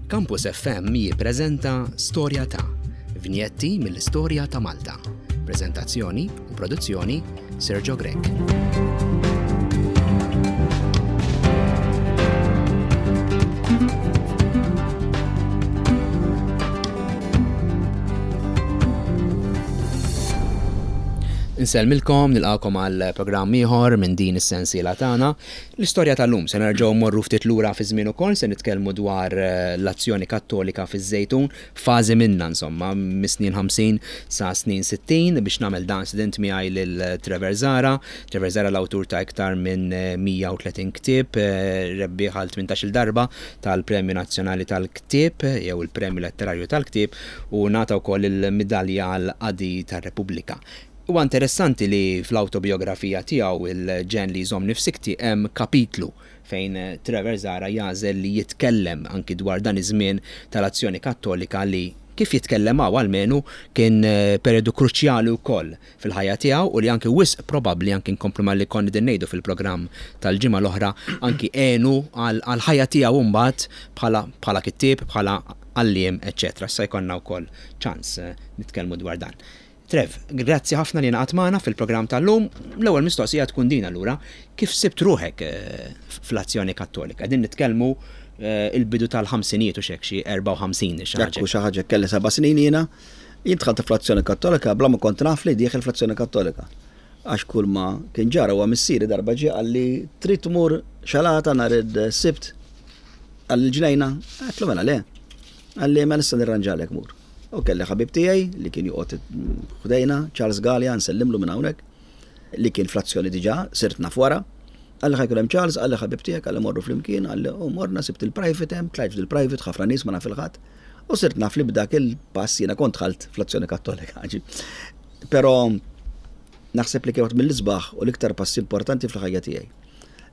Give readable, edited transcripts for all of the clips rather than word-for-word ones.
Campus FM jippreżenta Storja ta' vinjetti mill-istorja ta' Malta. Preżentazzjoni u produzzjoni Sergio Grech. Insellmilkom, nilqakom għal programm ieħor minn din is-sensiela tagħna. L-istorja tal-lum se nerġgħu morru ftit lura fi żmien ukoll se nitkellmu dwar eh, l-azzjoni kattolika fiż-Żejtun, fażi minnha insomma, mis-snin 50 sa snin 60 biex nagħmel dan student miegħi lil Trevor Zara. Trevor Zara l-awtur ta' iktar minn 130 ktieb, eh, rebbieħ għal 18-il darba tal-Premju Nazzjonali tal-Ktieb jew il-Premju Letterarju tal-Ktieb u ngħata wkoll il-Midalja għall-Qadi tar-Repubblika. Huwa interessanti li fl-awtobiografija tiegħu Il-Ġenn li Jżommni f'Sikti hemm kapitlu fejn Trevor Zahra jagħżel li jitkellem anki dwar dan iż-żmien tal-Azzjoni Kattolika li, kif jitkellem hawn almenu, kien perjodu kruċjali wkoll fil-ħajja tiegħu u li anki wisq probabbli, anki nkomplu ma' li konna qegħdin ngħidu fil-programm tal-ġimgħa l-oħra, anki għenu għall-ħajja tiegħu mbagħad bħala bħala kittieb, bħala għalliem, eċċetera. Issa jkollna wkoll ċans nitkellmu dwar dan. Trev, grazzi ħafna li ingħaqadt magħna fil-programm tal-lum. L-ewwel mistoqsija tkun din allura, kif sibt ruħek fl-Azzjoni Kattolika? Qegħdin nitkellmu il-bidu tal-ħamsinijiet u x'hekk xi 54 xi ħaġa. Ekku xi ħaġa kelli seba' snin jiena. Jien dħalt fl-Azzjoni Kattolika bla ma kont naf li dieħel fl-Azzjoni Kattolika. Għax kull ma kien ġara huwa missieri darba ġie qalli trid tmur xalata nhar is-Sibt għal ġnejna? Għedtlu mela le. Qalli mela issa nirranġalek mur. U kelli ħabib tiegħi li kien joqgħod ħdejna, Charles Galea, nsellimlu minn hawnhekk, li kien fl-azzjoni diġà, sirt naf wara. Qalli ħa jkun hemm Charles, qalli ħabib tiegħek, qalli morru flimkien, qalli u morna sibt il-private hemm, tlajt fil-private, ħafna nies ma naf il-ħadd. U sirt naf li b'dak il-pass jiena kont dħalt fl-azzjoni kattolika. Però naħseb li kien waħed mill-isbaħ u l-iktar passi importanti fil-ħajja tiegħi.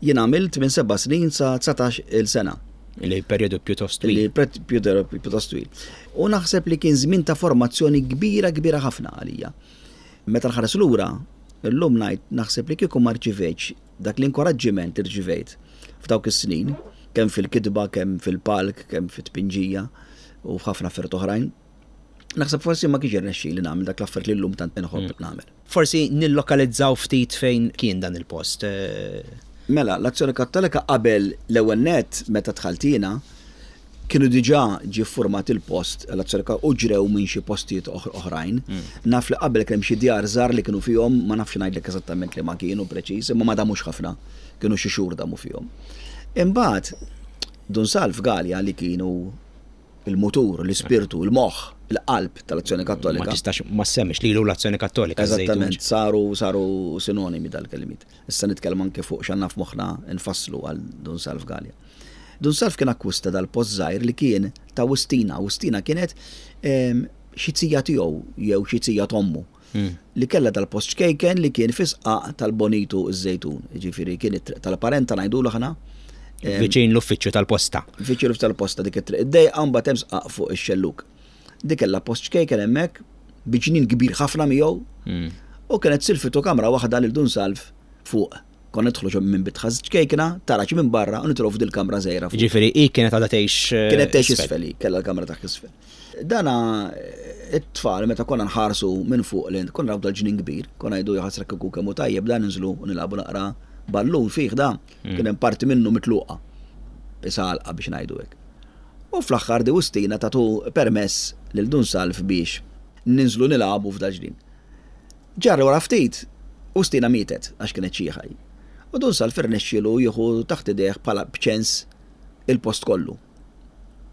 Jien għamilt minn seba' snin sa 19 il sena. Li perjodu pjuttost twil. Li perjodu pjuttost twil. U naħseb li kien żmien ta' formazzjoni kbira kbira ħafna għalija. Meta nħares lura, illum ngħid naħseb li kieku ma rċivejtx dak l-inkoraġġiment li rċivejt f'dawk is-snin, kemm fil-kitba, kemm fil-palk, kemm fit-tpinġija u f'ħafna affarijiet oħrajn, Naħseb forsi ma kienx irnexxieli nagħmel dak l-affarijiet li llum tant inħobb mm. nagħmel. Forsi nillokalizzaw ftit fejn kien dan il-post. Eh. Mela, l-Azzjoni Kattolika qabel l-ewwel net meta dħaltina kienu diġà ġie format il-post l-Azzjoni u ġrew minn xi postijiet oħrajn. Mm. Naf li qabel kemm xi djar żgħar li kienu fihom, ma nafx ngħidlek eżattament li ma kienu preċiż, imma ma damux ħafna, kienu xi xhur damu fihom. Imbagħad Dun Salv Galea li kienu il-mutur, l-ispirtu, il-moħħ, il-qalb tal-Azzjoni Kattolika. Ma tistax ma ssemmix lilu l-Azzjoni Kattolika. Eżattament, saru saru sinonimi dal-kelmiet. Issa nitkellem anke fuq x'għandna f'moħħna nfasslu għal Dun Salv Galea. Dun Salv kien akkwista dal-post żgħir li kien ta' Wistina. Wistina kienet ehm, xi zija tiegħu jew xi zija t'ommu. Hmm. Li kellha dal-post ċkejken li kien fi sqaq tal-Bonitu ż-Żejtun. Ġifieri kien it-triq tal-parenta ngħidulu aħna. Viċin l-uffiċċju tal-posta. Viċin l-uffiċċju tal-posta dik it-triq id-dejqa mbagħad hemm sqaq fuq ix-xelluk. Dik kellha post ċkejken hemmhekk bi ġnien kbir ħafna miegħu. Hmm. U kienet silfitu kamra waħda lil Dun Salv fuq. Konna nidħlu ġo minn bitħa ċkejkna, taraġ minn barra u nidħlu f'dil-kamra żgħira. Ġifieri hi kienet għadha tgħix. Eh, kienet tgħix isfel, kellha l-kamra taħt isfel. Dana eh, it-tfal meta konna nħarsu minn fuq li konna naraw dal-ġnien kbir, konna jgħidu jaħasra kieku kemm hu tajjeb dan ninżlu u nilagħbu naqra ballun fih da, hmm. kien hemm parti minnu mitluqa. Isa għalqa biex ngħidu hekk. U fl-aħħar di Wistina tatu permess lil Dun Salv biex ninżlu nilagħbu f'dal-ġnien. Ġara wara ftit, Ustina mietet għax kienet xiħa hi. U Dun Salv irnexxielu jieħu taħt idejh bħala b'ċens il-post kollu.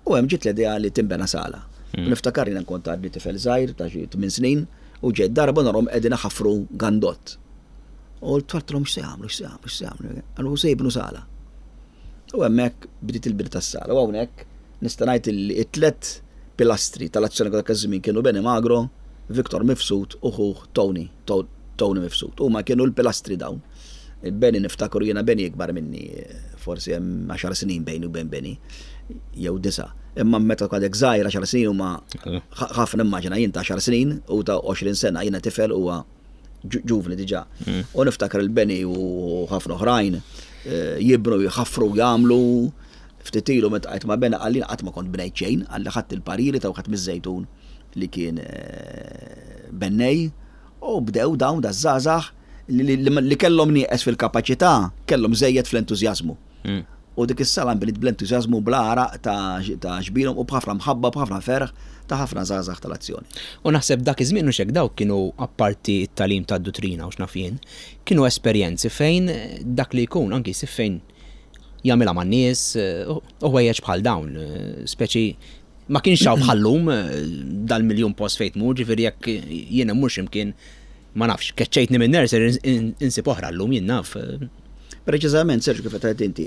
U hemm ġiet l-idea li tinbena sala. U niftakar jiena kont għadni tifel żgħir ta' xi tmien snin u ġejt darba narhom qegħdin iħaffru gandott. U l-tfal x'se jagħmlu, x'se jagħmlu, x'se jagħmlu. Qalu se jibnu sala. U hemmhekk bdiet il-bini tas-sala. U hawnhekk nista' ngħid li t-tlet pilastri tal-azzjoni dak iż-żmien kienu Benny Magro, Victor Mifsud u ħuh Tony, Tony Mifsud. Huma kienu l-pilastri dawn. Benny niftakru jiena Benny ikbar minni, forsi hemm għaxar snin bejni u bejn Benny, jew disa'. Imma meta għadek żgħir għaxar snin huma ħafna immaġina jien ta' għaxar snin u ta' 20 sena jiena tifel huwa ġuvni diġà. Mm. U niftakar il-Beni u ħafna oħrajn eh, jibnu, jħaffru, jagħmlu. Ftit ilu meta ltqajt ma' Bena qalli qatt ma kont bnejt xejn, qalli ħadt il-pariri ta' wieħed miż-Żejtun li kien bennej u bdew dawn daż-żgħażagħ li kellhom nieqes fil-kapaċità, kellhom żejjed fl-entużjażmu. U dik is-sala nbniet bl-entużjażmu bla għaraq ta' xbirhom u b'ħafna mħabba, b'ħafna ferħ ta' ħafna żgħażagħ tal-Azzjoni. U naħseb dak iż-żmien hux hekk dawk kienu apparti t-tagħlim tad-duttrina u x'naf jien, kienu esperjenzi fejn dak li jkun anki jsib fejn jagħmilha man-nies u ħwejjeġ bħal dawn, speċi ma kienx hawn bħal-lum dal-miljun post fejn tmur, ġifieri jekk jien immur x'imkien ma nafx, keċċejtni minn nursery insib oħra llum jien naf. Preċiżament, Sergio, kif qed inti.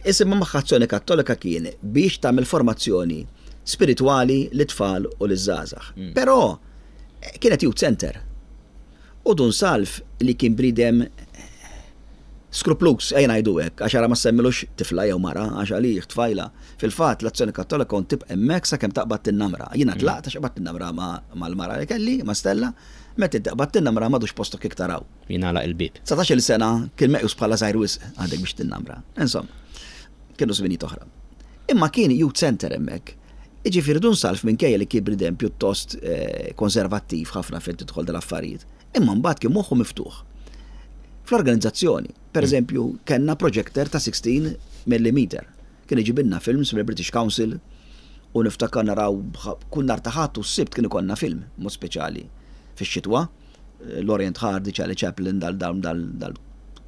Isimha magħha Azzjoni Kattolika kien biex tagħmel formazzjoni spiritwali lit-tfal u liż-żgħażagħ. Però kienet youth center. U Dun Salv li kien bniedem skrupluż, ejja ngħidu hekk, għax ara ma ssemmilux tifla jew mara, għax għalih tfajla. Fil-fatt, l-Azzjoni Kattolika kont tibqa' hemmhekk sakemm taqbad tinnamra. Jiena tlaqt għax qbadt tinnamra mal-mara li kelli, ma' Stella, meta inti qbadt tinnamra m'għadux postok iktar hawn. Jingħalaq il-bieb. Dsatax-il sena kien meqjus bħala żgħir wisq għadek biex tinnamra. Insomma, kienu żminijiet oħra. Imma kien youth centre hemmhekk. Jiġifieri Dun Salv minkejja li kien bniedem pjuttost konservattiv ħafna fejn tidħol dal-affarijiet, imma mbagħad kien moħħu miftuħ. Fl-organizzazzjoni, per eżempju, kellna projector ta' 16 millimeter. Kien iġibilna films mill-British Council u niftakar naraw kull nhar ta' Ħadd u s-Sibt kien ikollna film, mod speċjali fix-xitwa. Laurel and Hardy, Charlie Chaplin, dal dal dal dal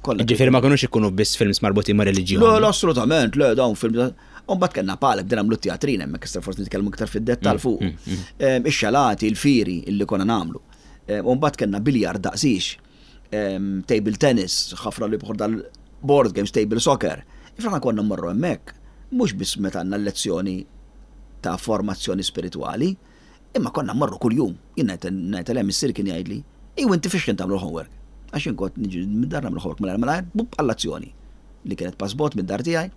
kollha. Ġifieri ma kinux ikunu biss films marbutin ma' reliġjon. Le, le, assolutament, le, dawn films. U mbagħad kellna palk, bdejna nagħmlu t-teatrin hemmhekk, issa forsi nitkellmu iktar fid-dettall fuq. Ix-xalati, il-fieri illi konna nagħmlu. U mbagħad kellna biljard daqsiex, table tennis, ħafna li bħor dal-board games, table soccer. Aħna konna mmorru hemmhekk, mhux biss meta għandna lezzjoni ta' formazzjoni spiritwali, Imma konna mmorru kuljum. Jien ngħid għalija missieri kien jgħidli, Iju inti fiex kien tagħmlu l-homework? Għax jien kont niġi mid-dar nagħmlu homework malajr malajr, bup għall-azzjoni li kienet pass bogħod mid-dar tiegħi.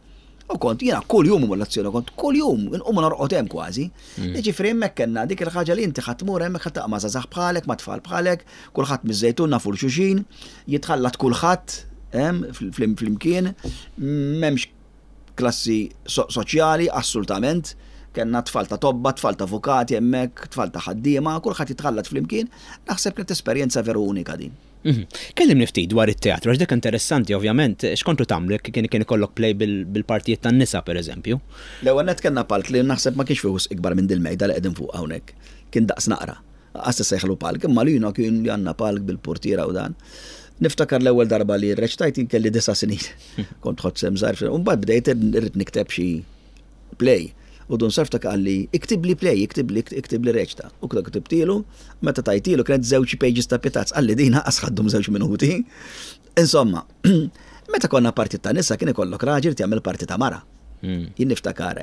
U kont jiena kuljum imur l-azzjoni, kont kuljum inqum u norqod hemm kważi. Jiġifieri hemmhekk kellna dik il-ħaġa li inti ħa tmur hemmhekk ħa tiltaqa' ma' żgħażagħ bħalek, ma' tfal bħalek, kulħadd miż-Żejtun nafu 'l xulxin, jitħallat kulħadd hemm flimkien, m'hemmx klassi soċjali, assultament. Kellna tfal ta' tobba, tfal ta' avukati hemmhekk, tfal ta' ħaddiema, kulħadd jitħallat flimkien. Naħseb kienet esperjenza veru unika din. Kellimni ftit dwar it-teatru, għax dik interessanti ovvjament, x'kontu tagħmlu jekk kien kien ikollok play bil-partijiet tan-nisa pereżempju? L-ewwel nett kellna palk li naħseb ma kienx fih wisq ikbar minn dil-mejda li qegħdin fuqha hawnhekk. Kien daqs naqra. Lanqas tista' palk, imma lina kien li għandna palk bil-purtiera u dan. Niftakar l-ewwel darba li rreċtajt jien kelli disa' snin. Kont ħodt sehem żgħir, u mbagħad bdejt irrid nikteb xi play. U Dun Sarftak qalli, iktibli play, iktibli, iktibli reċta. U ktibtilu, meta tajtilu kienet żewġ pages ta' pitazz, qalli din aqas ħaddum żewġ minuti. Insomma, meta konna parti ta' nisa kien ikollok raġel jagħmel parti ta' mara. Jien niftakar,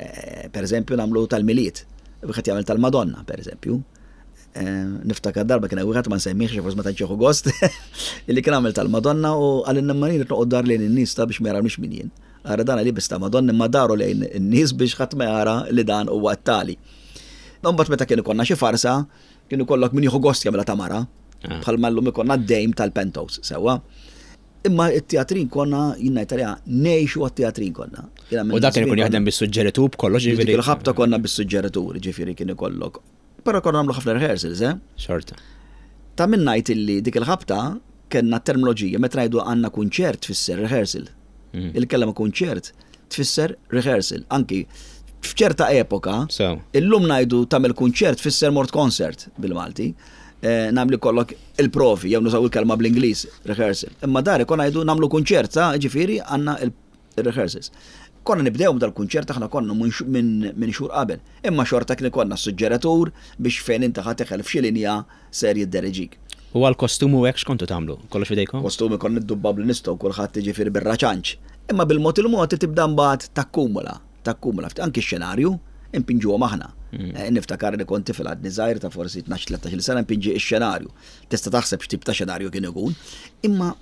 per eżempju, nagħmlu tal-Milied, wieħed jagħmel tal-Madonna, per eżempju. Niftakar darba kien wieħed ma nsemmihx forsi ma tantx jieħu gost, illi kien għamel tal-Madonna u qalilna imma jien noqgħod dar lejn in-nies ta' biex ma jarawniex min jien. Ara dan liebes ta' Madonna imma daru lejn in-nies biex ħadd ma jara li dan huwa t-tali. Imbagħad meta kien ikollna xi farsa, kien ikollok min jieħu gost jagħmilha ta' mara, bħalma llum ikollna d-dame tal-pentos, sewwa. Imma it-teatrin konna, jien ngħid għaliha, ngħixu għat-teatrin konna. U dak kien ikun jaħdem bis-suġġeritur b'kollox, ġifieri. Dik il-ħabta konna bis-suġġeritur, ġifieri kien ikollok. Però konna nagħmlu ħafna rehearsals, eh? Xorta. Ta' min ngħid illi dik il-ħabta kellna terminoloġija meta ngħidu għandna kunċert tfisser rehearsal. Il-kelma kunċert tfisser rehearsal. Anki f'ċerta epoka, illum ngħidu tagħmel kunċert tfisser mort concert bil-Malti. Nagħmlu kollok il-provi, jew nużaw il-kelma bl-Ingliż, rehearsal. Imma dari konna ngħidu nagħmlu kunċert, sa ġifieri għandna il-rehearsals. Konna nibdew dal-kunċert aħna konna minn xhur qabel. Imma xorta kien ikollna suġġeratur biex fejn inti ħa teħel f'xi linja ser jiddereġik. U għal-kostumu hekk x'kontu tagħmlu? Kollox f'idejkom? Kostumi konna niddubbaw bli nistgħu kulħadd jiġifieri bir-raċanċ. Imma bil-mod il-mod tibda mbagħad takkumula, takkumula. Anki x-xenarju impinġuhom aħna. Niftakar li kont tifel għadni żgħir ta' forsi 12-13 sena impinġi x-xenarju. Tista' taħseb x'tip ta' xenarju kien ikun. Imma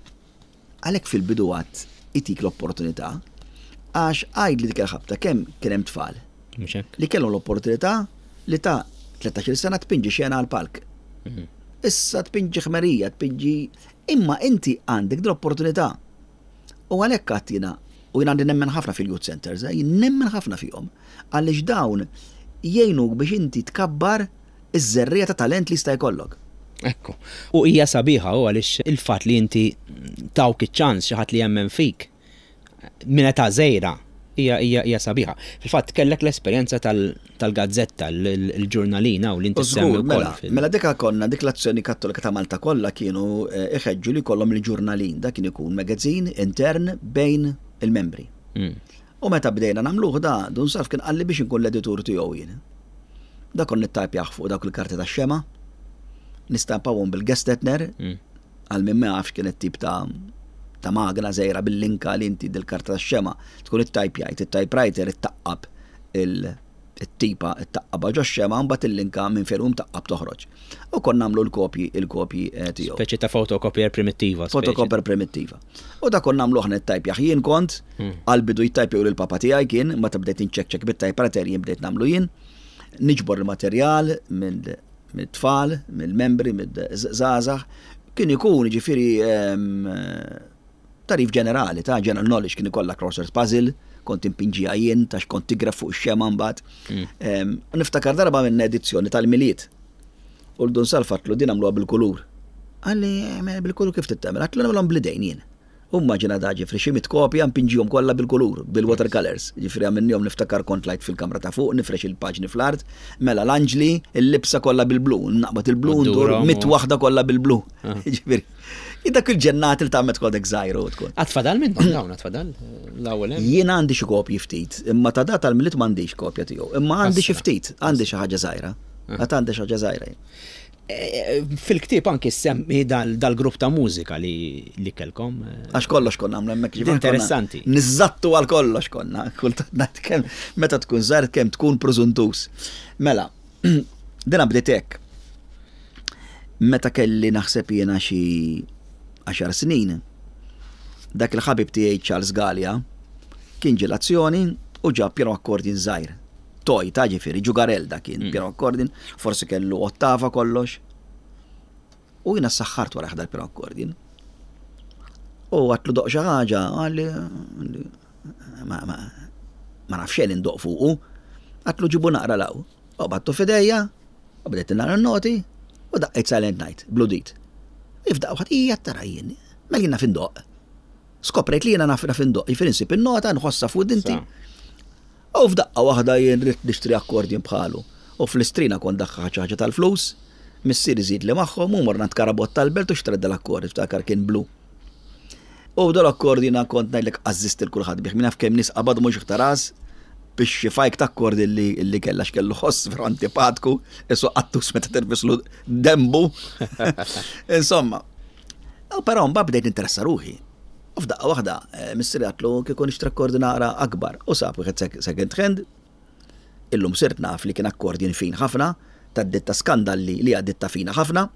għalhekk fil-bidu għad itik l-opportunità għax għid li dik il-ħabta kemm kien hemm tfal li kellhom l-opportunità li ta' 13 sena tpinġi xena għal palk. Issa tpinġi ħmerija, tpinġi imma inti għandek l-opportunità. U għalhekk għad jiena U jien għandi nemmen ħafna fil-youth centers, eh, jien nemmen ħafna fihom. Għaliex dawn jgħinuk biex inti tkabbar iż-żerriegħa ta' talent li jista' jkollok. Ekku. U hija sabiħa u għaliex il-fatt li inti tawk iċ-ċans xi ħadd li jemmen fik minn età żgħira hija hija hija sabiħa. Fil-fatt kellek l-esperjenza tal-gazzetta, l-ġurnalina u li inti semmi wkoll. Mela, mela dika konna dik l-azzjoni Kattolika ta' Malta kollha kienu eh, iħeġġu li jkollhom il-ġurnalin, dak kien ikun magazine intern bejn il-membri. Hmm. U meta bdejna nagħmluh da, Dun Salv kien qalli biex inkun l-editur tiegħu jien. Da kont nittajpjah fuq dawk il-karti tax-xema, nistampawhom bil-Gestetner, hmm. Għal min ma jafx kienet tip ta' ta' magna żgħira bil-linka li inti dil-karta tax-xema tkun ittajpjajt, it-typewriter ittaqqab il-tipa ittaqqabha ġox-xema mbagħad il-linka minn fejn hu mtaqqab toħroġ. U konna nagħmlu l-kopji il-kopji eh, tiegħu. Speċi ta' photocopier primittiva. Photocopier primittiva. U da konna nagħmlu aħna ttajpjah jien kont, hmm. għal-bidu jittajpjaw lil papa tiegħi kien, meta bdejt inċekċek bit-typewriter jien bdejt nagħmlu jien, niġbor il-materjal minn mit-tfal, mill-membri, mill-żgħażagħ, kien ikun ġifieri ehm, tarif ġenerali ta' general knowledge kien ikollha crossword puzzle, kont impinġija jien ta' xkont tigref fuq ix-xema mbagħad. Mm. Ehm, niftakar darba minn edizzjoni tal-Milied. U l-dun salfatlu din għamluha bil-kulur. Għalli eh, bil-kulur kif tittemel? Għatlu nagħmluhom blidejn jien. U mmaġina da ġifri xi mitt kopja npinġihom kollha bil-kulur, bil-watercolours. Ġifri għamilnihom niftakar kont tlajt fil-kamra ta' fuq nifrex il-paġni fl-art, mela l-anġli, il-libsa kollha bil-blu, naqbad il-blu ndur mitt waħda kollha bil-blu. Ah. Ġifieri, dak il-ġennat li tagħmel tkun għadek żgħir u tkun. Għad fadal minnhom dawn, għad fadal l-ewwel hemm. Jien għandi xi kopji ftit, imma ta' da tal-Milied m'għandix kopja tiegħu, imma għandi xi ftit, għandi xi ħaġa żgħira. Ah. Għad għandi xi ħaġa żgħira jien. Fil-ktieb anki semmi dal-grupp ta' mużika li kellkom. Għax kollox konna għamlu hemmhekk ġifieri. Interessanti. Niżżattu għal kollox konna. Kultant ngħid kemm meta tkun żgħir kemm tkun prużuntus. Mela, dina bdiet hekk. Meta kelli naħseb jiena xi għaxar snin, dak il-ħabib tiegħi Charles Galea kien ġie l-azzjoni u ġab piano accordion żgħir. Toy ta' ġifieri, ġugarell dak kien, mm. piano accordion, forsi kellu ottava kollox. U jiena saħħart wara ħdar piano accordion. U għatlu doq xi ħaġa, għalli ma, ma, ma nafx xejn indoq fuqu. Għatlu ġibu naqra law. U battu fidejja, u bdejt naqra noti, u daqqejt Silent Night, bludit. Ifdaq waħd hija tara jien, mela jien naf indoq. Skoprejt li jiena naf naf indoq, jifieri nsib in-nota, nħossha fuq dinti. U f'daqqa waħda jien ridt nixtri accordion bħalu. U fl-Istrina kont daħħaħt xi ħaġa tal-flus, missieri żiedli magħhom u morna għand Karabott tal-Belt u xtrajt dal-accordion, niftakar kien blu. U dal-accordion jiena kont ngħidlek qażżist lil kulħadd bih, min jaf kemm nies qabad mhux iktar ras biex xi fajk ta' accordion li li kellha x'kellu ħoss veru antipatku, isu qattus meta tirfislu denbu. Insomma, u però mbagħad bdejt ninteressa ruħi. U f'daqqa waħda, eh, missieri għatlu kieku nixtri akkordin naqra akbar u sab wieħed second hand. Illum sirt naf li kien akkordin fin ħafna, ta' ditta skandalli li għad ditta fina ħafna.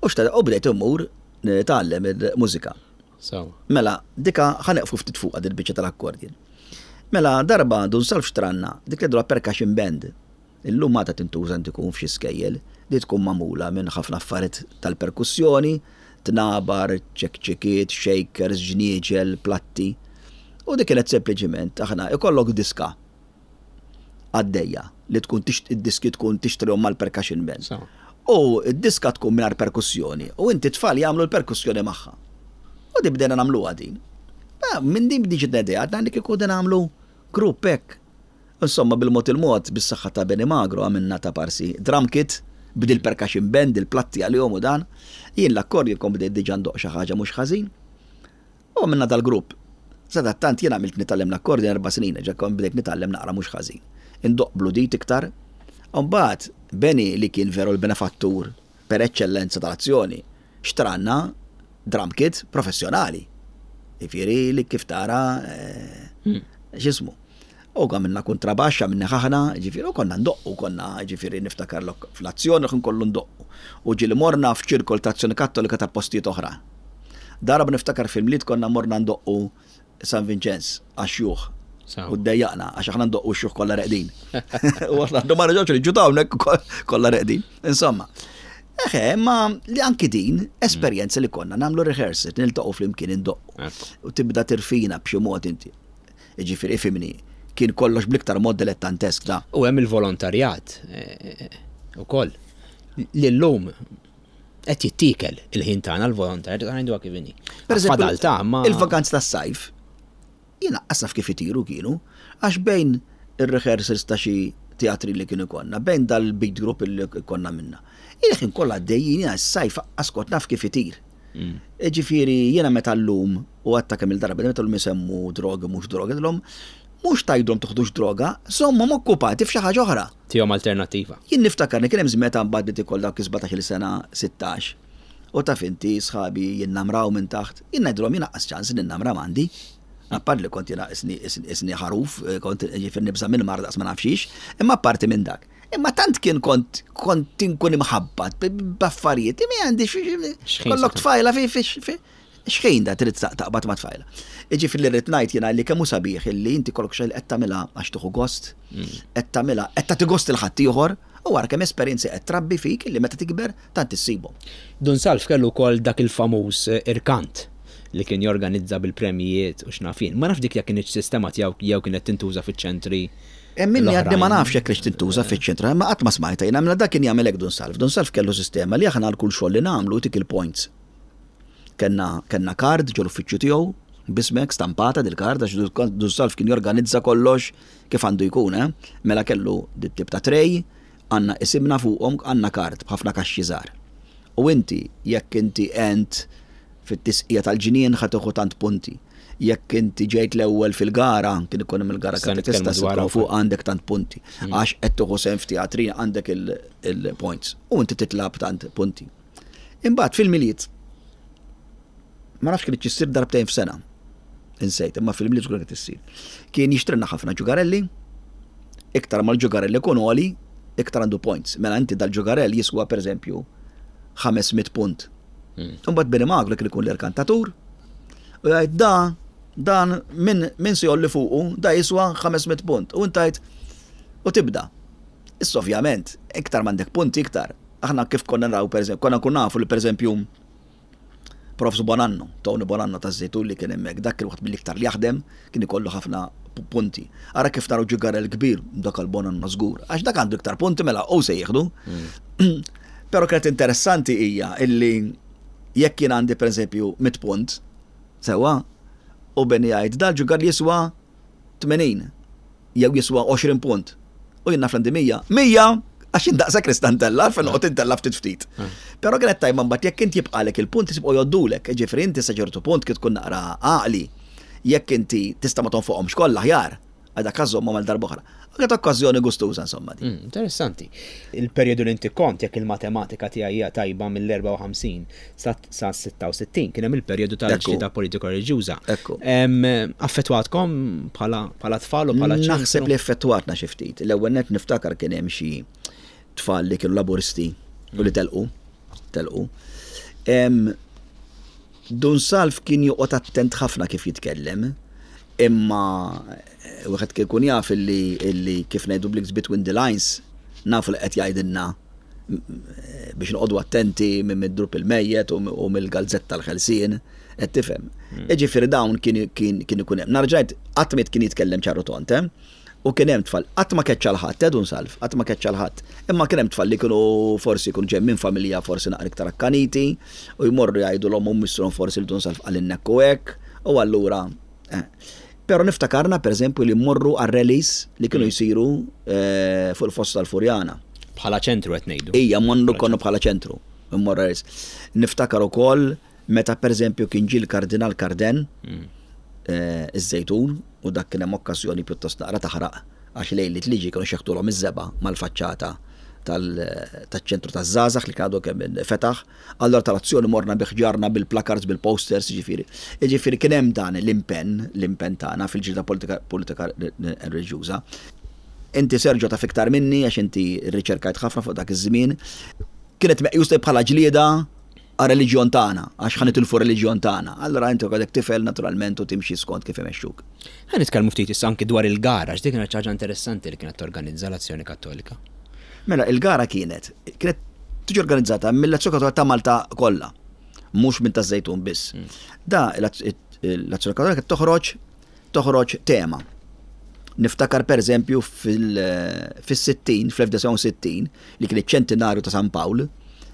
U xtara u bdejt immur nitgħallem il-mużika. Mela, dika ħaneqfu ftit fuqha dil-biċċa tal-akkordin. Mela, darba dun salf xtranna, dik li percussion band. Illum għadha tintuża inti tkun f'xi skejjel, di tkun magħmula minn ħafna affarijiet tal-perkussjoni, tnabar, ċekċekiet, shakers, ġnieġel, platti. U dik kienet sempliċiment aħna ikollok diska għaddejja li tkun id-diski tkun tixtrihom mal-percussion band. U d-diska tkun mingħajr perkussjoni u inti tfal jagħmlu l-perkussjoni magħha. U di bdejna nagħmluha din. Ah, minn din bdiġi idea għadna li kieku nagħmlu grupp hekk. Insomma, bil-mod il-mod, bis-saħħa ta' Benny Magro għamilna ta' parsi drum kit, b'dil-percussion band, il-platti għalihom u dan. Jien l-accordion kont bdejt diġà ndoqq xi ħaġa mhux ħażin. U għamilna dal-grupp. Sadattant jien għamilt nitgħallem l-accordion erba' snin, ġa kont bdejt nitgħallem naqra mhux ħażin. Indoqq bl-udit iktar. U mbagħad Benny li kien veru l-benefattur per eċċellenza tal-azzjoni, xtralna drum kit professjonali. Jifieri li kif tara eh, x'ismu. U għamilna kontrabaxx, għamilna ħaħna, ġifieri, u konna ndoqqu, konna ġifieri niftakar fl-azzjoni kien kollu ndoqqu. U ġieli morna f'ċirkol ta' azzjoni kattolika ta' postijiet oħra. Darba niftakar fil-Milied konna morna ndoqqu San Vinċenz għax-xjuħ. U ddejjaqna għax aħna ndoqqu x-xjuħ kollha reqdin. U aħna għandu ma reġgħux li hawnhekk kollha reqdin. Insomma. Eħe, ma li anki din esperjenza li konna nagħmlu rehearsal, niltaqgħu flimkien indoqqu. U tibda tirfina b'xi mod inti. Jiġifieri ifhimni, kien kollox bl-iktar mod dilettantesk da. U hemm il-volontarjat ukoll li llum qed jittiekel il-ħin tagħna l-volontarjat ngħiduha kif inhi. Fadal ta' ma. Il-vaganzi tas-sajf Jien aqqas naf kif itiru kienu, għax bejn ir-rehearsals ta' xi teatri li kien ikollna, bejn dal-beat group li konna għamilna. Il-ħin kollha għaddejjin, jiena s-sajf aqqas kont naf kif itir. Jiġifieri jiena meta llum, u għadtha kemm-il darba, meta llum isemmu drogi mhux drogi, ngħidilhom mhux tgħidulhom toħdux droga, żommhom okkupati f'xi ħaġa oħra. Tihom alternattiva. Jien niftakar li kien hemm żmien meta mbagħad bdiet ikoll dawk is-17-il sena, 16, U taf inti, sħabi jinnamraw minn taħt, jien ngħidilhom jien aqqas ċans ninnamra m'għandi. Apart li kont jiena isni isni ħaruf, kont jiġifieri nibża' minn mara daqs ma naf xiex, imma apparti minn dak. Imma tant kien kont kont inkun imħabbat b'affarijiet li ma għandix kollok tfajla fi fi x'ħin da trid taqbad ma' tfajla. Jiġifieri li rrid ngħid jiena li kemm hu sabiħ illi inti kollok xi qed tagħmilha għax tieħu gost, qed tagħmilha qed tagħti gost il ħaddieħor u ara kemm esperjenzi qed trabbi fik illi meta tikber tant issibhom. Dun Salv kellu wkoll dak il-famuż irkant li kien jorganizza bil-premjijiet u x'naf jien. Ma nafx dik jekk kinitx sistema tiegħu jew kienet tintuża fiċ-ċentri Hemm minni għadni ma nafx jekk kinitx tintuża fiċ-ċentru, imma qatt ma smajtha jiena. Mela dak kien jagħmel hekk Dun Salv. Dun Salv kellu sistema li aħna għal kull xogħol li nagħmlu jtik il-points. Kellna kellna card ġol-uffiċċju tiegħu b'ismek stampata dil-card għax Dun Salv kien jorganizza kollox kif għandu jkun, eh. Mela kellu dit-tip ta' tray Għandna isimna fuqhom, għandna kard b'ħafna kaxxi żgħar. U inti, jekk inti għent fit-tisqija tal-ġnien ħa tieħu tant punti. Jekk inti ġejt l-ewwel fil-gara, kien ikun hemm il-gara katekista se tkun fuq għandek tant punti. Għax qed tieħu sehem f'teatrin għandek il-points. U inti titla' b'tant punti. Imbagħad fil-Milied, ma nafx kien issir darbtejn f'sena. Insejt, imma fil-Milied żgur kienet issir. Kien jixtrilna ħafna ġugarelli, iktar ma l-ġugarell ikun għoli, iktar għandu points. Mela inti dal-ġugarell jiswa pereżempju 500 punt. Imbagħad Bini Magro kien ikun l-irkantatur u jgħid da dan min min se jolli fuqu da jiswa 500 punt. U inti tgħid u tibda. Issa ovvjament, iktar m'għandek punti iktar. Aħna kif konna naraw pereżempju, konna nkun nafu li pereżempju Profs Bonanno, Tony Bonanno taż-Żejtun li kien hemmhekk, dak kien wieħed mill-iktar li jaħdem, kien ikollu ħafna punti. Ara kif naraw ġugarell kbir, dak għal Bonanno żgur, għax dak għandu iktar punti mela hu se jieħdu. Però kienet interessanti hija illi jekk jien għandi pereżempju 100 punt, sewwa, u Benny jgħid dal-ġugarell jiswa 80 jew jiswa 20 punt u jien naf l-għandi 100, 100! Għax jien daqshekk nista' ntella' għalfejn noqgħod intella' ftit ftit. Però kienet tajba mbagħad jekk int jibqagħlek il-punti jibqgħu jgħoddulek, jiġifieri inti sa ċertu punt kif tkun naqra għaqli, jekk inti tista' ma tonfoqhomx kollha aħjar, għal dak żommhom għal darb'oħra. Kienet okkażjoni gustuża insomma din. Interessanti. Il-perjodu li inti kont, jekk il-matematika tiegħi hija tajba mill-54 sa 66 kien hemm il-perjodu tal-ġlieda politiko-reliġjuża. Ekku. Affettwatkom bħala tfal u bħala ċentru? Naħseb li affettwatna xi ftit. L-ewwel nett niftakar kien hemm xi tfal li kienu Laburisti u li telqu. Telqu. Dun Salv kien joqgħod attent ħafna kif jitkellem, imma wieħed kien ikun jaf illi, illi kif ngħidu bl-Ingliż between the lines, nafu li qed jgħidilna biex noqogħdu attenti minn mid-drub il-mejjet u mill-galzetta tal-ħelsien, qed tifhem. Jiġifieri dawn kien kien kien ikun hemm. Narġa' ngħid, qatt ma kien jitkellem ċar u tond, eh? U kien hemm tfal, qatt ma keċċa 'l ħadd, eh, Dun Salv, qatt ma keċċa 'l ħadd. Imma kien hemm tfal li kienu forsi jkunu ġejjin minn familja forsi naqra iktar akkaniti u jmorru jgħidu 'l ommhom u missierhom forsi li Dun Salv qalilna hekk u hekk u allura eh. Però niftakarna pereżempju li mmorru għar-rallies li kienu jsiru fuq il-Fossa tal-Furjana. Bħala ċentru qed ngħidu. Ija, mmorru konna bħala ċentru, mmorru rallies. Niftakar ukoll Meta pereżempju kien ġie l-Kardinal Carden iż-Żejtun u dak kien hemm okkażjoni pjuttost naqra taħraq għax lejliet li ġie kienu xeħtulhom iż-żebgħa mal-faċċata taċ-ċentru taż-żgħażagħ li kien għadu kemm fetaħ. Allura tal-azzjoni morna bi ħġarna, bil-placards, bil-posters, jiġifieri. Jiġifieri kien hemm dan l-impenn, l-impenn tagħna fil-ġlieda politika politika reliġjuża. Inti Sergio taf iktar minni għax inti rriċerkajt ħafna fuq dak iż-żmien. Kienet meqjusa bħala ġlieda għar-reliġjon tagħna, għax ħa nitilfu r-reliġjon tagħna. Allura inti għadek tifel naturalment u timxi skont kif imexxuk. Ħa nitkellmu ftit issa anki dwar il-gara, għax dik kienet xi ħaġa interessanti li kienet torganizza l-Azzjoni Kattolika. Mela, il-gara kienet, kienet tiġi organizzata mill-Azzjoni Kattolika ta' Malta kollha, mhux minn taż-Żejtun biss. Da l-Azzjoni Kattolika toħroġ toħroġ tema. Niftakar per eżempju fis-60, fl-1960, li kien iċ-ċentinarju ta' San Pawl,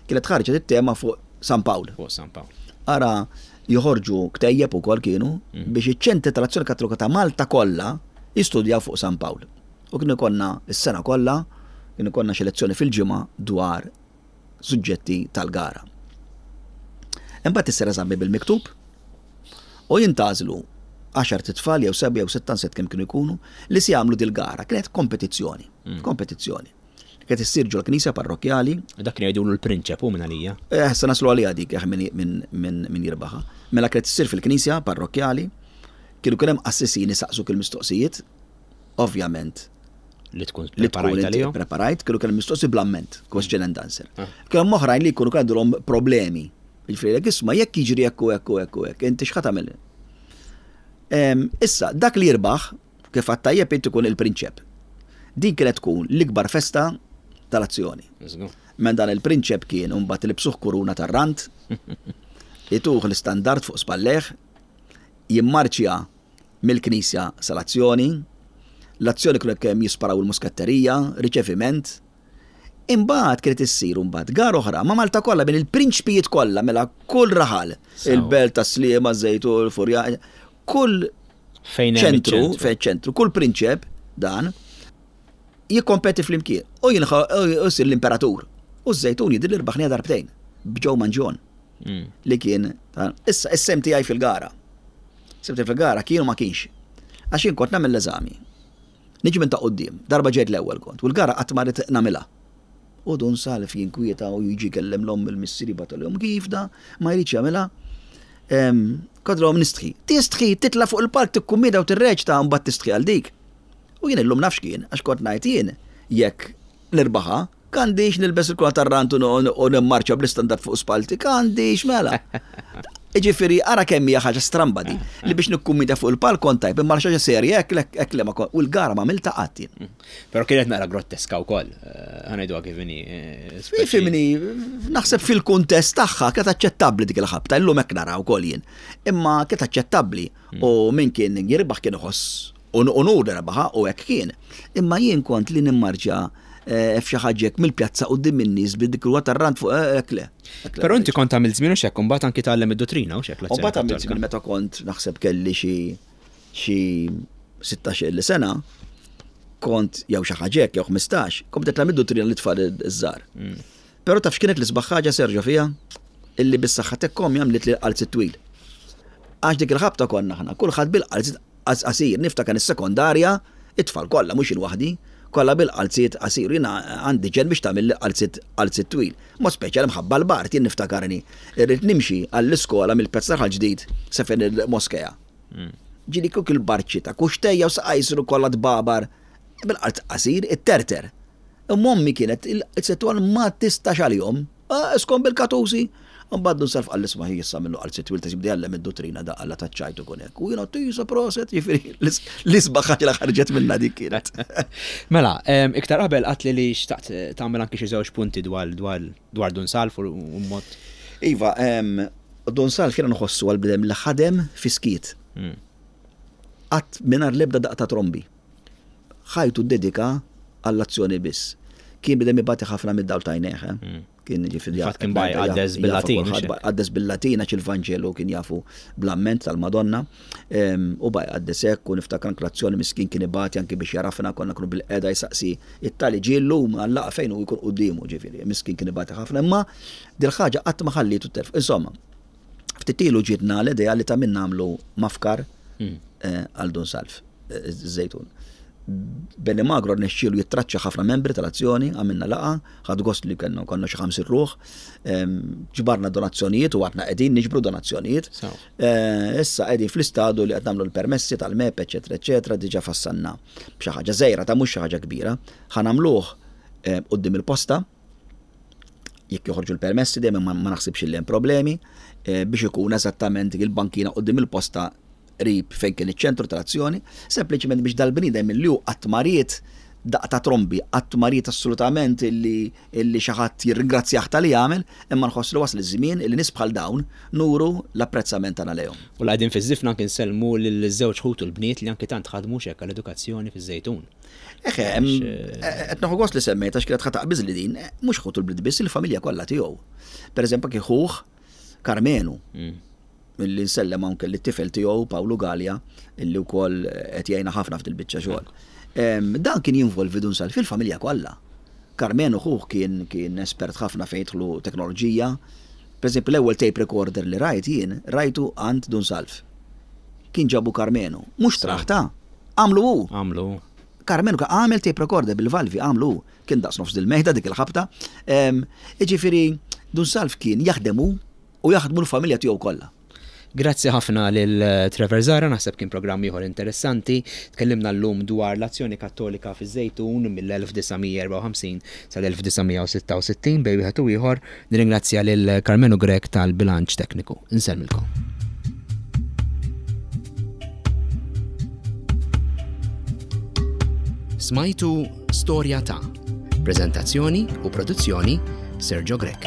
kienet ħarġet it-tema fuq San Pawl. Fuq San Pawl. Ara joħorġu ktejjeb ukoll kienu biex iċ-ċentri tal-Azzjoni Kattolika ta' Malta kollha jistudjaw fuq San Pawl. U kien ikollna s-sena kollha, kien ikollna xi lezzjoni fil-ġimgħa dwar suġġetti tal-gara. Imbagħad issir eżami bil-miktub u jintgħażlu għaxart itfal jew sebgħa jew sitta nsiet kemm kienu jkunu li se jagħmlu dil-gara. Kienet kompetizzjoni, kompetizzjoni. Kienet issir ġol knisja parrokkjali. Dak kien jgħidulu l-prinċep hu minn għalija. Eh, se naslu għaliha dik eh, min, min, min jirbaħha. Mela kienet issir fil-knisja parrokkjali, kienu kien hemm qassisin isaqsuk il-mistoqsijiet, ovvjament li tkun preparajt għalihom. Preparajt, kienu kien mistoqsi bl-amment, question and answer. Ah. Kien hemm oħrajn li jkunu kellhom problemi. Jiġifieri jekk isma' jekk jiġri hekk u hekk u hekk u hekk, inti x'ħa tagħmel? Issa, dak li jirbaħ, kif għadt tajjeb int ikun il-prinċep. Din kienet tkun l-ikbar festa tal-azzjoni. Men dan il-prinċep kien imbagħad ilibsuh kuruna tar-rand, ituh l-istandard fuq spallejh, jimmarċja mill-knisja sal-azzjoni, l-azzjoni kienu kemm jisparaw il-muskatterija, riċeviment. Imbagħad kienet issir imbagħad gara oħra ma' Malta kollha bejn il-prinċpijiet kollha mela kull raħal, il-belt ta' Sliema, Żejtun, Furja, kull ċentru, fejn ċentru, kull prinċep dan jikkompeti flimkien u jsir l-imperatur. U ż-Żejtun jidhirli rbaħniha darbtejn b'Joe Mangion. Li kien issa is-sem tiegħi fil-gara. Sem tiegħi fil-gara kien u ma kienx. Għax jien kont nagħmel l-eżami. Niġi minn ta' quddiem, darba ġejt l-ewwel kont, u l-gara qatt ma rrid nagħmilha. U Dun Salv jinkwieta u jiġi jkellem l-omm il-missier jibgħatulhom kif da ma jridx jagħmilha. Kodlhom nistħi. Tistħi, titla' fuq il-palk tikkummida u tirreċta mbagħad tistħi għal dik. U jien illum naf x'kien, għax kont ngħid jien jekk nirbaħha, K'għandix nilbes il-kula tar-rant u nimmarċja bl-istandard fuq spallti? K'għandix mela? Jiġifieri ara kemm hija ħaġa stramba di, li biex nikkummidja fuq il-palk kont tajb, imma xi ħaġa serja hekk le hekk le ma kont, u l-gara m'għamiltha qatt jien. Però kienet naqra grotteska wkoll, ħa ngħiduha kif inhi. Fimni, naħseb fil-kuntest tagħha kienet aċċettabbli dik il-ħabta, illum hekk nara wkoll jien. Imma kienet aċċettabbli u min kien jirbaħ kien iħoss Unur li rebaħha u hekk kien. Imma jien kont li nimmarċja eh, f'xi ħaġa hekk mill-pjazza quddiem in-nies bid-dik il tar-rant fuq eh, hekk le. Però inti kont għamilt żmien u x'hekk, imbagħad anki tgħallem id-duttrina u x'hekk l Imbagħad għamilt żmien meta kont naħseb kelli xi xi 16 sena kont jew xi ħaġa hekk jew 15, kont qed nagħmel id-duttrina li tfal iż-żgħar. Mm. Però taf x'kienet l-isbaħ ħaġa Sergio fiha? Illi bis-saħħa t'hekk ommi għamlitli l-qalziet twil. Għax dik il-ħabta konna aħna, kulħadd bil-qalziet qasir. Niftakar is-sekondarja, it-tfal kollha, mhux jien waħdi, kollha bil-qalziet qasir. U jiena għandi ġenn biex tagħmilli qalziet qalziet twil. Mod speċjali mħabba l-bard, jien niftakarni irrid nimxi għall-iskola mill-Pjazza Raħal Ġdid sa fejn il-moskea. Ġieli kieku il-bard xita, kuxtejja u saqajja jsiru kollha tbabar bil-qalz qasir, itterter. Imma ommi kienet il-qalziet twal ma tistax għalihom. Ah, iskom bil-katusi! Imbagħad Dun Salv qal isma' hi issa minnu qal sitt wild jibda jgħallem id-duttrina da Alla taċ-ċajt ikun hekk. U jiena tisa proset, jiġifieri l-isbaħ ħaġa li ħarġet minnha dik kienet. Mela, iktar qabel qatli li xtaqt tagħmel anki xi żewġ punti dwar dwar dwar Dun Salv u mod. Iva, Dun Salv jiena nħossu għal bniedem li ħadem fi skiet. Qatt mingħajr l-ebda daqq ta' trombi. Ħajtu ddedika għall-azzjoni biss. Kien bniedem ibati ħafna mid-dawl ta' għajnejh. Eh? Mm. Kien ġifieri Fatt kien baj qaddes bil-Latin. Qaddes bil-Latin għax il-Vanġelu kien jafu bl-amment tal-Madonna. U baj qaddes hekk u niftakar anke l-azzjoni miskin kien ibati anke biex jarafna konna kunu bil-qeda jsaqsi it-tali ġie llum għal-laqgħa fejn hu jkun quddiemu ġifieri. Miskin kien ibati ħafna imma dil-ħaġa qatt ma ħallietu telf. Insomma, ftit ilu ġietna l-idea li ta' min nagħmlu mafkar hmm. eh, għal Dun Salv. Żejtun. Benny Magro rnexxielu jittraċċa ħafna membri tal-azzjoni, għamilna laqgħa, ħadt gost li kellna konna xi 50 ruħ, ġbarna donazzjonijiet u għadna qegħdin niġbru donazzjonijiet. Eh, issa qegħdin fl-istadu li qed nagħmlu l-permessi tal-MEP, eċetera, eċetera, diġà fassanna b'xi ħaġa żgħira ta' mhux xi ħaġa kbira. Ħa nagħmluh quddiem il-posta, jekk joħorġu l-permessi dejjem ma naħsibx li hemm problemi eh, biex ikun eżattament il-bankina quddiem il-posta qrib fejn kien iċ-ċentru tal-azzjoni, sempliċement biex dal-bniedem li hu qatt ma ried Daqq ta' trombi, qatt ma ried assolutament illi illi xi ħadd jirringrazzjah talli għamel, imma nħoss li wasal iż-żmien illi nies bħal dawn nuru l-apprezzament tagħna lejhom. U la qegħdin fiż-żifna anki nsellmu liż-żewġ ħut u l-bniet li anki tant ħadmu hekk għall-edukazzjoni fiż-Żejtun. Eħe, qed nieħu gost li semmejt għax kienet ħa taqbiżli din, mhux ħutu l-bniet biss, il-familja kollha tiegħu. Pereżempju anki ħuh Karmenu, illi nsellem anke lit-tifel tiegħu Pawlu Galea, illi wkoll qed jgħinna ħafna f'dil-biċċa xogħol. Dan kien jinvolvi Dun Salv fil-familja kollha. Karmenu ħuh kien kien espert ħafna fejn jidħlu teknoloġija. Pereżempju l-ewwel tape recorder li rajt jien, rajtu għand Dun Salv. Kien ġabu Karmenu. Mhux xtrah ta'. Għamlu hu. Għamlu hu. Karmenu għamel tape recorder bil-valvi, għamlu hu. Kien daqs nofs dil-mejda dik il-ħabta. Jiġifieri Dun Salv kien jaħdem hu u jaħdmu l-familja tiegħu kollha. Grazzi ħafna lil Trevor Zahra, naħseb kien programm ieħor interessanti. Tkellimna llum dwar l-Azzjoni Kattolika fiż-Żejtun mill-1954 sal-1966 bejn wieħed u ieħor. Nirringrazzja lil Karmenu Grech tal-bilanċ tekniku. Insellmilkom. Smajtu Storja ta' Preżentazzjoni u produzzjoni Sergio Grech.